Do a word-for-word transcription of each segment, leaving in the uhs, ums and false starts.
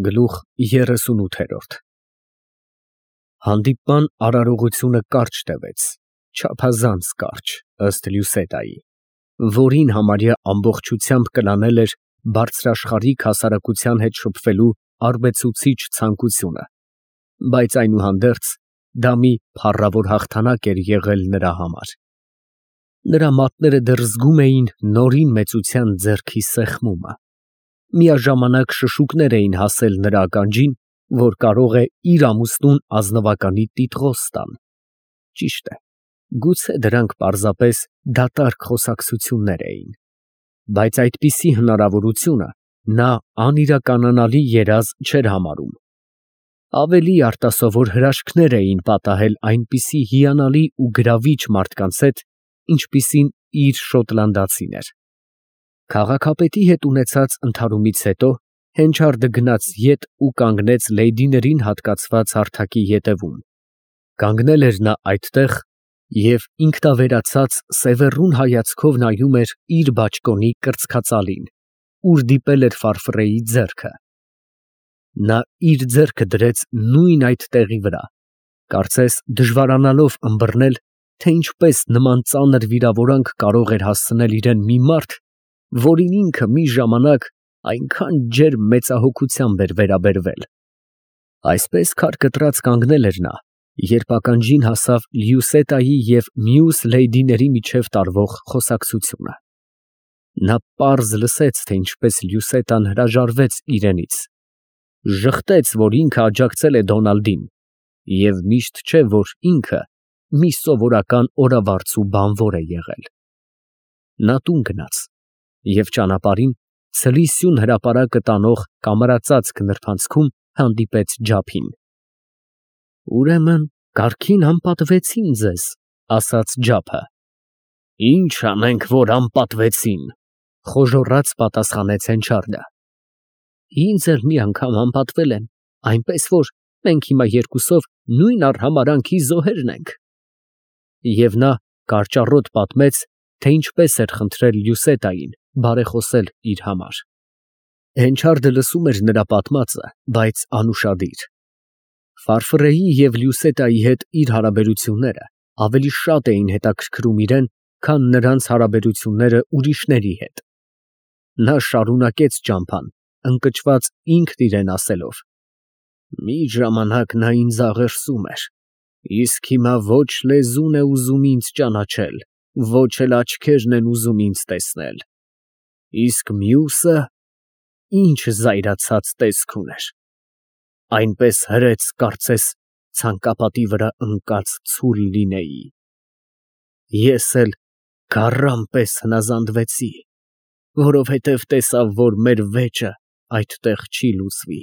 Գլուխ երեսունութ Հանդիպման արարողությունը կարճ տևեց, չափազանց կարճ, ըստ Լյուսետայի, որին համարյա ամբողջությամբ կլանել էր բարձրաշխարհիկ հասարակության հետ շփվելու արբեցուցիչ ցանկությունը, բայց այնուհանդերձ դա մի փառավոր հաղթանակ էր եղել նրա համար։ Նրա մատները դեռ զգում էին նորին մեծության ձեռքի սեղմումը, միաժամանակ շշուկներ էին հասել նրա ականջին, որ կարող է իր ամուսնուն ազնվականի տիտղոս տան։ Ճիշտ է, գուցե դրանք պարզապես դատարկ խոսակցություններ էին, բայց այդպիսի հնարավորությունը նա անիրականանալի երազ չէր համարում։ Ավելի արտասովոր հրաշքներ էին պատահել այնպիսի հիանալի ու գրավիչ մարդկանց հետ, ինչպիսին իր շոտլանդացին էր։ Քաղաքապետի հետ ունեցած ընդհարումից հետո Հենչարդը գնաց ետ ու կանգնեց լեյդիներին հատկացված հարթակի ետևում։ Կանգնել էր նա այդտեղ և ինքնավերացած սևեռուն հայացքով նայում էր իր բաճկոնի կրծքածալին, ուր դիպել էր ֆարֆռեի ձեռքը։ Նա իր ձեռքը դրեց նույն այդ տեղի վրա, կարծես դժվարանալով ըմբռնել, թե ինչպես նման ծանր վիրավորանք կարող էր հասցնել իրան մի մարդ, որին ինքը մի ժամանակ այնքան ջերմ մեծահոգությամբ էր վերաբերվել։ Այսպես քարկտրած կանգնել էր նա, երբ ականջին հասավ Լյուսետայի և մյուս լեյդիների միջև տարվող խոսակցությունը։ Նա պարզ լսեց, թե ինչպես Լյուսետան հրաժարվեց իրենից, ժխտեց, որ ինքը աջակցել է Դոնալդին, և միշտ չէ, որ ինքը մի սովորական օրավարձու բանվոր է եղել։ Նա տուն գնաց և ճանապարհին ցլի սյուն հրապարակը տանող կամարածածկ նրբանցքում հանդիպեց Ջափին։ ֊ Ուրեմն կառքին անպատվեցին ձեզ, ֊ ասաց Ջափը։ ֊ Ի՞նչ անենք, որ անպատվեցին, ֊ խոժոռաց պատասխանեց Հենչարդը։ ֊ Ինձ էլ մի անգամ անպատվել են, այնպես որ մենք հիմա երկուսով նույն արհամարհանքի զոհերն ենք։ Եվ նա կարճառոտ պատմեց, թե ինչպես էր խնդրել Լյուսետային բարեխոսել իր համար։ Հենչարդը լսում էր նրա պատմածը, բայց անուշադիր։ Ֆարֆռեի և Լյուսետայի հետ իր հարաբերությունները ավելի շատ էին հետաքրքրում իրան, քան նրանց հարաբերությունները ուրիշների հետ։ Նա շարունակեց ճամփան, ընկճված ինքն իրան ասելով. «Մի ժամանակ նա ինձ աղերսում էր, իսկ հիմա ոչ լեզուն է ուզում ինձ ճանաչել, ոչ էլ աչքերն են ուզում ինձ տեսնել։ Իսկ մյուսը ինչ զայրացած տեսք ուներ, այնպես հրեց, կարծես ցանկապատի վրա ընկած ցուլ լինեի։ Ես էլ գառան պես հնազանդվեցի, որովհետև տեսա, որ մեր վեճը այդտեղ չի լուծվի։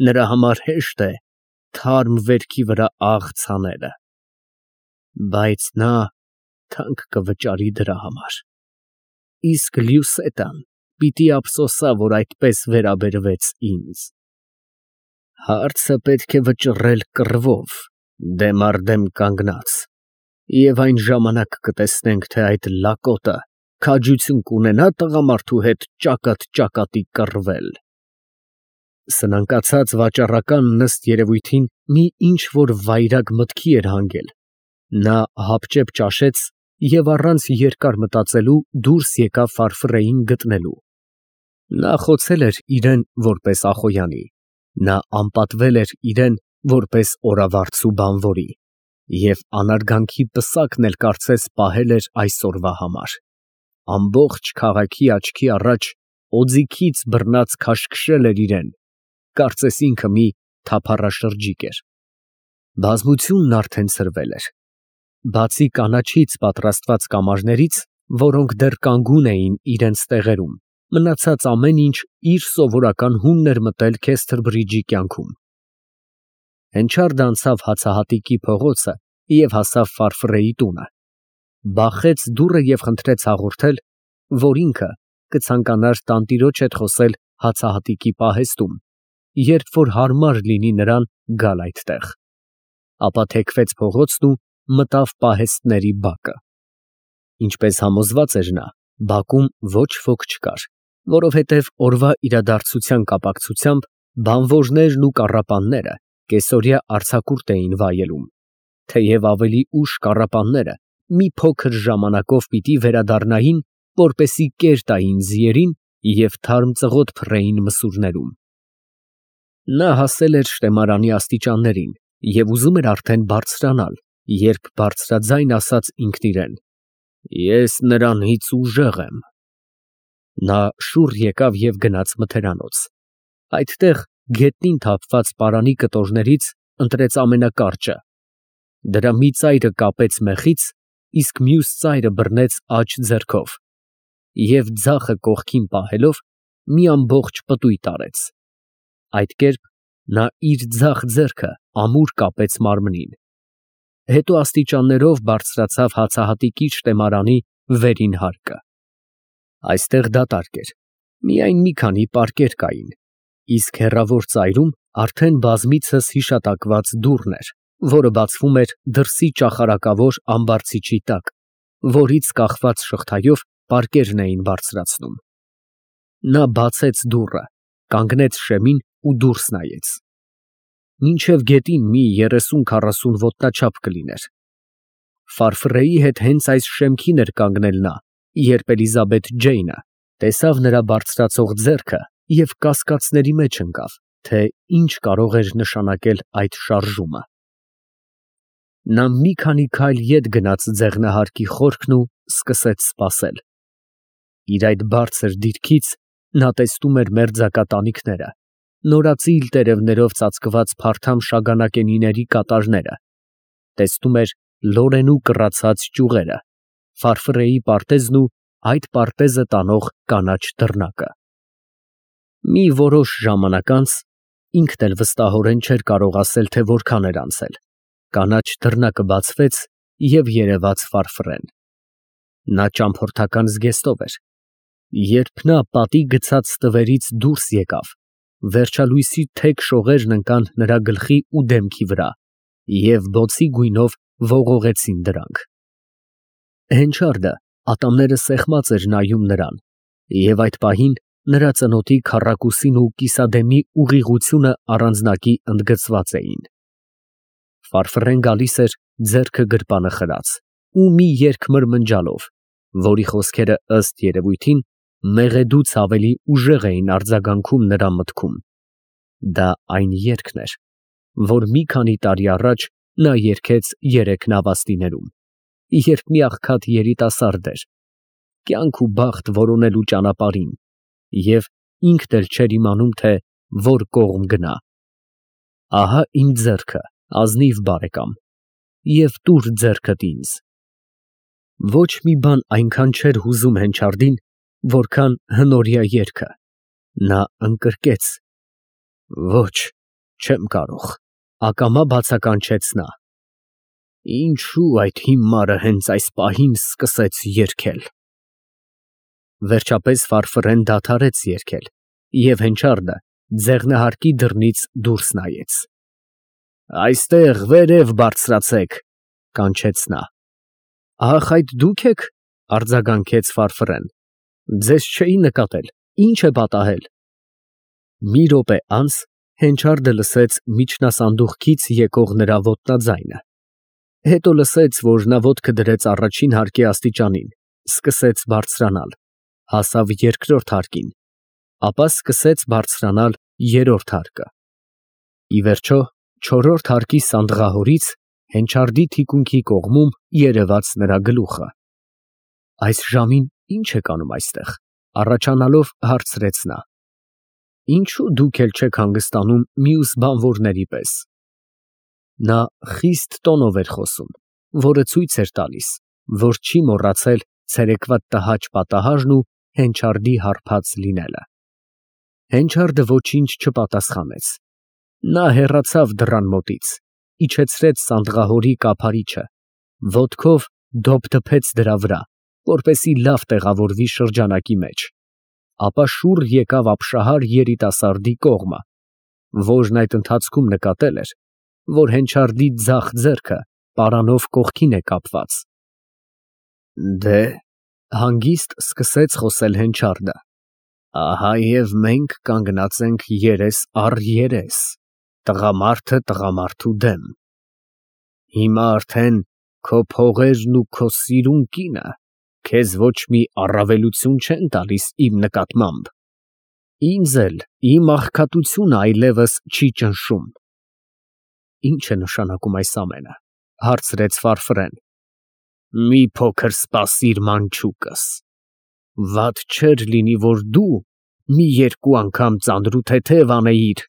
Նրա համար հեշտ է թարմ վերքի վրա աղց հանելը, բայց նա թանկ կվճարի դրա համար։ Իսկ Լյուսետան պիտի ափսոսա, որ այդպես վերաբերվեց ինձ։ Հարցը պետք է վճռել կռվով, դեմ առ դեմ կանգնած, և այն ժամանակ կտեսնենք, թե այդ լակոտը քաջություն կունենա՞ տղամարդու հետ ճակատ ճակատի կռվել։ Սնանկացած վաճառականն ըստ երևույթին մի ինչ֊որ վայրագ մտքի էր հանգել։ Նա հապճեպ ճաշեց և առանց երկար մտածելու դուրս եկավ ֆարֆռեին գտնելու։ Նա խոցել էր իրան որպես Ախոյանի, նա անպատվել էր իրան որպես օրավարձու բանվորի, և անարգանքի պսակն էլ կարծես պահել էր այսօրվա համար։ Ամբողջ քաղաքի աչքի առաջ օձիքից բռնած քաշքշել էր իրան, կարծես ինքը մի թափառաշրջիկ էր։ Բազմությունն արդեն ցրվել էր։ Բացի կանաչից պատրաստված կամարներից, որոնք դեռ կանգուն էին իրենց տեղերում, մնացած ամեն ինչ իր սովորական հունն էր մտել Քեսթրբրիջի կյանքում։ Հենչարդը անցավ հացահատիկի փողոցը և հասավ ֆարֆռեի տունը, բախեց դուռը և խնդրեց հաղորդել, որ ինքը կցանկանար տանտիրոջ հետ խոսել հացահատիկի պահեստում, երբ որ հարմար լինի նրան գալ այդտեղ։ Ապա թեքվեց փողոցն ու մտավ պահեստների բակը։ Ինչպես համոզված էր նա, բակում ոչ ոք չկար, որովհետև օրվա իրադարձության կապակցությամբ Բանվորներն ու կառապանները կեսօրյա արձակուրդ էին վայելում, թեև ավելի ուշ կառապանները մի փոքր ժամանակով պիտի վերադառնային, որպեսզի կեր տային ձիերին և թարմ ծղոտ փռեին մսուրներում։ Նա հասել էր շտեմարանի աստիճաններին և ուզում էր արդեն բարձրանալ, երբ բարձրաձայն ասաց ինքն իրեն. «Ես նրանից ուժեղ եմ»։ Նա շուռ եկավ և գնաց մթերանոց։ Այդտեղ գետնին թափված պարանի կտորներից ընտրեց ամենակարճը, դրա մի ծայրը կապեց մեխից, իսկ մյուս ծայրը բռնեց աջ ձեռքով և ձախը կողքին պահելով մի ամբողջ պտույտ արեց։ Այդ կերպ նա իր ձախ ձեռքը ամուր կապեց մարմնին, հետո աստիճաններով բարձրացավ հացահատիկի շտեմարանի վերին հարկը։ Այստեղ դատարկ էր, միայն մի քանի պարկեր կային, իսկ հեռավոր ծայրում արդեն բազմիցս հիշատակված դուռն էր, որը բացվում էր դրսի ճախարակավոր ամբարձիչի տակ, որից կախված շղթայով պարկերն էին բարձրացնում։ Նա բացեց դուռը, կանգնեց շեմին ու դուրս նայեց։ Մինչև գետին մի երեսուն֊քառասուն ոտնաչափ կլիներ։ Ֆարֆռեի հետ հենց այս շեմքին էր կանգնել նա, երբ Էլիզաբեթ Ջեյնը տեսավ նրա բարձրացող ձեռքը և կասկածների մեջ ընկավ, թե ինչ կարող էր նշանակել այդ շարժումը։ Նա մի քանի քայլ ետ գնաց ձեղնահարկի խորքն ու սկսեց սպասել։ Իր այդ բարձր դիրքից նա տեսնում էր մերձակա տանիքները, նորածիլ տերևներով ծածկված փարթամ շագանակենիների կատարները, տեսնում էր լորենու կռացած ճյուղերը, ֆարֆռեի պարտեզն ու այդ պարտեզը տանող կանաչ դռնակը։ Մի որոշ ժամանակ անց, ինքն էլ վստահորեն չէր կարող ասել, թե որքան էր անցել, կանաչ դռնակը բացվեց և երևաց ֆարֆռեն։ Նա ճամփորդական զգեստով էր։ Երբ նա պատի գցած ստվերից դուրս եկավ, վերջալույսի թեք շողերն ընկան նրա գլխի ու դեմքի վրա և բոցի գույնով ողողեցին դրանք։ Հենչարդը ատամները սեղմած էր նայում նրան, և այդ պահին նրա ծնոտի քառակուսին ու կիսադեմի ուղիղությունը առանձնակի ընդգծված էին։ Ֆարֆռեն գալիս էր ձեռքը գրպանը խրած ու մի երգ մրմնջալով, որի խոսքերը ըստ երևույթին մեղեդուց ավելի ուժեղ էին արձագանքում նրա մտքում։ Դա այն երգն էր, որ մի քանի տարի առաջ նա երգեց երեք նավաստիներում, երբ մի աղքատ երիտասարդ էր, կյանք ու բախտ որոնելու ճանապարհին, և ինքն էլ չէր իմանում, թե որ կողմ գնա։ Ահա իմ ձեռքը, ազնիվ բարեկամ, և տուր ձեռքդ ինձ։ Ոչ մի բան այնքան չէր հուզում Հենչարդին, որքան հնորյա երգը։ Նա ընկրկեց. «Ոչ, չեմ կարող», ակամա բացականչեց նա։ Ինչո՞ւ այդ հիմարը հենց այս պահին սկսեց երգել։ Վերջապես ֆարֆռեն դադարեց երգել, և Հենչարդը ձեղնահարկի դռնից դուրս նայեց։ «Այստեղ վերև բարձրացեք», կանչեց նա։ Ախ, այդ դու՞ք եք, արձագանքեց ֆարֆռեն, ձեզ չէի նկատել, ի՞նչ է պատահել։ Մի րոպե անց Հենչարդը լսեց միջնասանդուղքից եկող նրա ոտնաձայնը, հետո լսեց, որ նա ոտքը դրեց առաջին հարկի աստիճանին, սկսեց բարձրանալ, հասավ երկրորդ հարկին, ապա սկսեց բարձրանալ երրորդ հարկը։ Ի վերջո, չորրորդ հարկի սանդղահորից Հենչարդի թիկունքի կողմում երևաց նրա գլուխը։ Այս ժամին ի՞նչ եք անում այստեղ, առաջանալով հարցրեց նա։ Ինչո՞ւ դուք էլ չեք հանգստանում մյուս բանվորների պես։ Նա խիստ տոնով էր խոսում, որը ցույց էր տալիս, որ չի մոռացել ցերեկվա տհաճ պատահարն ու Հենչարդի հարբած լինելը։ Հենչարդը ոչինչ չպատասխանեց։ Նա հեռացավ դռան մոտից, իջեցրեց սանդղահորի կափարիչը, ոտքով դոփ դփեց դրա վրա, որպեսզի լավ տեղավորվի շրջանակի մեջ, ապա շուռ եկավ ապշահար երիտասարդի կողմը, որն այդ ընթացքում նկատել էր, որ Հենչարդի ձախ ձեռքը պարանով կողքին է կապված։ Դե, հանգիստ սկսեց խոսել Հենչարդը, Ահա և մենք կանգնած ենք երես առ երես, տղամարդը տղամարդու դեմ։ Հիմա արդեն քո փողերն ու քո սիրուն կինը քեզ ոչ մի առավելություն չեն տալիս իմ նկատմամբ, ինձ էլ իմ աղքատությունը այլևս չի ճնշում։ Ի՞նչ է նշանակում այս ամենը, հարցրեց Ֆարֆրեն։ Մի փոքր սպասիր, մանչուկս, վատ չէր լինի, որ դու մի երկու անգամ ծանրութեթև անեիր,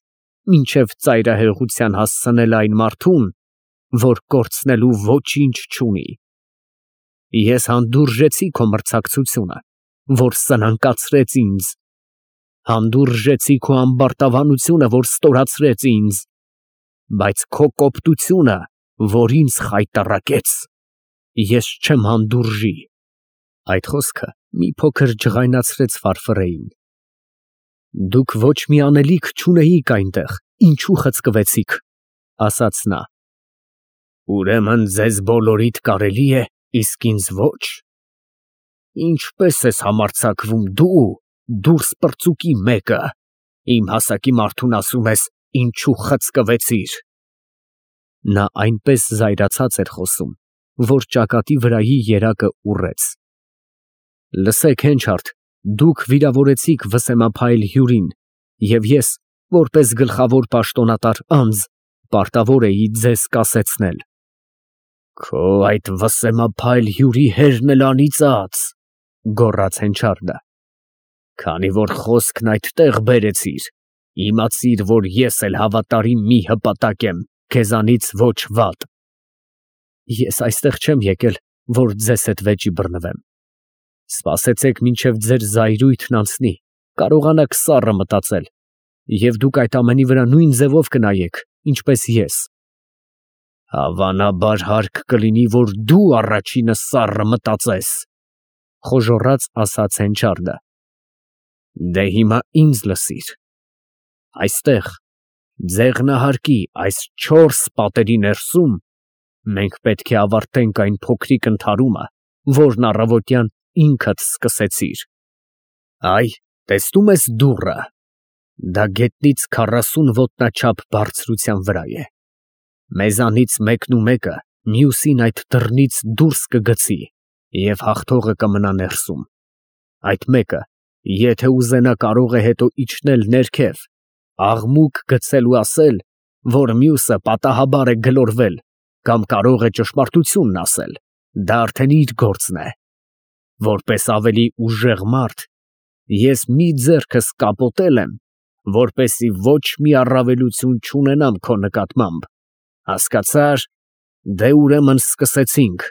մինչև ծայրահեղության հասցնել այն մարդուն, որ կորցնելու ոչինչ չունի։ Ես հանդուրժեցի քո մրցակցությունը, որ սնանկացրեց ինձ, հանդուրժեցի քո ամբարտավանությունը, որ ստորացրեց ինձ, բայց քո կոպտությունը, որ ինձ խայտառակեց, ես չեմ հանդուրժի։ Այդ խոսքը մի փոքր ջղայնացրեց Ֆարֆրեին։ Դուք ոչ մի անելիք չունեիք այնտեղ, ինչու խցկվեցիք, ասաց նա։ Ուրեմն ձեզ բոլորիդ կարելի է, իսկ ինձ ոչ։ Ինչպես ես համարձակվում դու, դուրս պրծուկի մեկը, իմ հասակի մարդուն ասում ես, ինչու խցկվեցիր։ Նա այնպես զայրացած էր խոսում, որ ճակատի վրայի երակը ուռեց։ Լսեք, Հենչարդ, դուք վիրավորեցիք վսեմափայլ հյուրին, և ես, որպես գլխավոր պաշտոնատար անձ, պարտավոր էի ձեզ կասեցնել։ Քո այդ վսեմափայլ հյուրի հերն էլ անիծած, գոռաց Հենչարդը։ Քանի որ խոսքն այդտեղ բերեցիր, իմացիր, որ ես էլ հավատարիմ մի հպատակ եմ, քեզանից ոչ վատ։ Ես այստեղ չեմ եկել, որ ձեզ հետ վեճի բռնվեմ։ Սպասեցեք, մինչև ձեր զայրույթն անցնի, կարողանաք սառը մտածել, և դուք այդ ամենի վրա նույն ձևով կնայեք, ինչպես ես։ Հավանաբար հարկ կլինի, որ դու առաջինը սառը մտածես, խոժոռաց ասաց Հենչարդը։ Դե հիմա ինձ լսիր։ Այստեղ, ձեղնահարկի այս չորս պատերի ներսում, մենք պետք է ավարտենք այն փոքրիկ ընդհարումը, որն առավոտյան ինքդ սկսեցիր։ Այ, տեսնում ես դուռը, դա գետնից քառասուն ոտնաչափ բարձրության վրա է։ Մեզանից մեկն ու մեկը մյուսին այդ դռնից դուրս կգցի, և հաղթողը կմնա ներսում։ Այդ մեկը, եթե ուզենա, կարող է հետո իջնել ներքև, աղմուկ գցել ու ասել, որ մյուսը պատահաբար է գլորվել, կամ կարող է ճշմարտությունն ասել, դա արդեն իր գործն է։ Որպես ավելի ուժեղ մարդ, ես մի ձեռքս կապոտել եմ, որպեսզի ոչ մի առավելություն չունենամ քո նկատմամբ, հասկացա՞ր, դե ուրեմն սկսեցինք։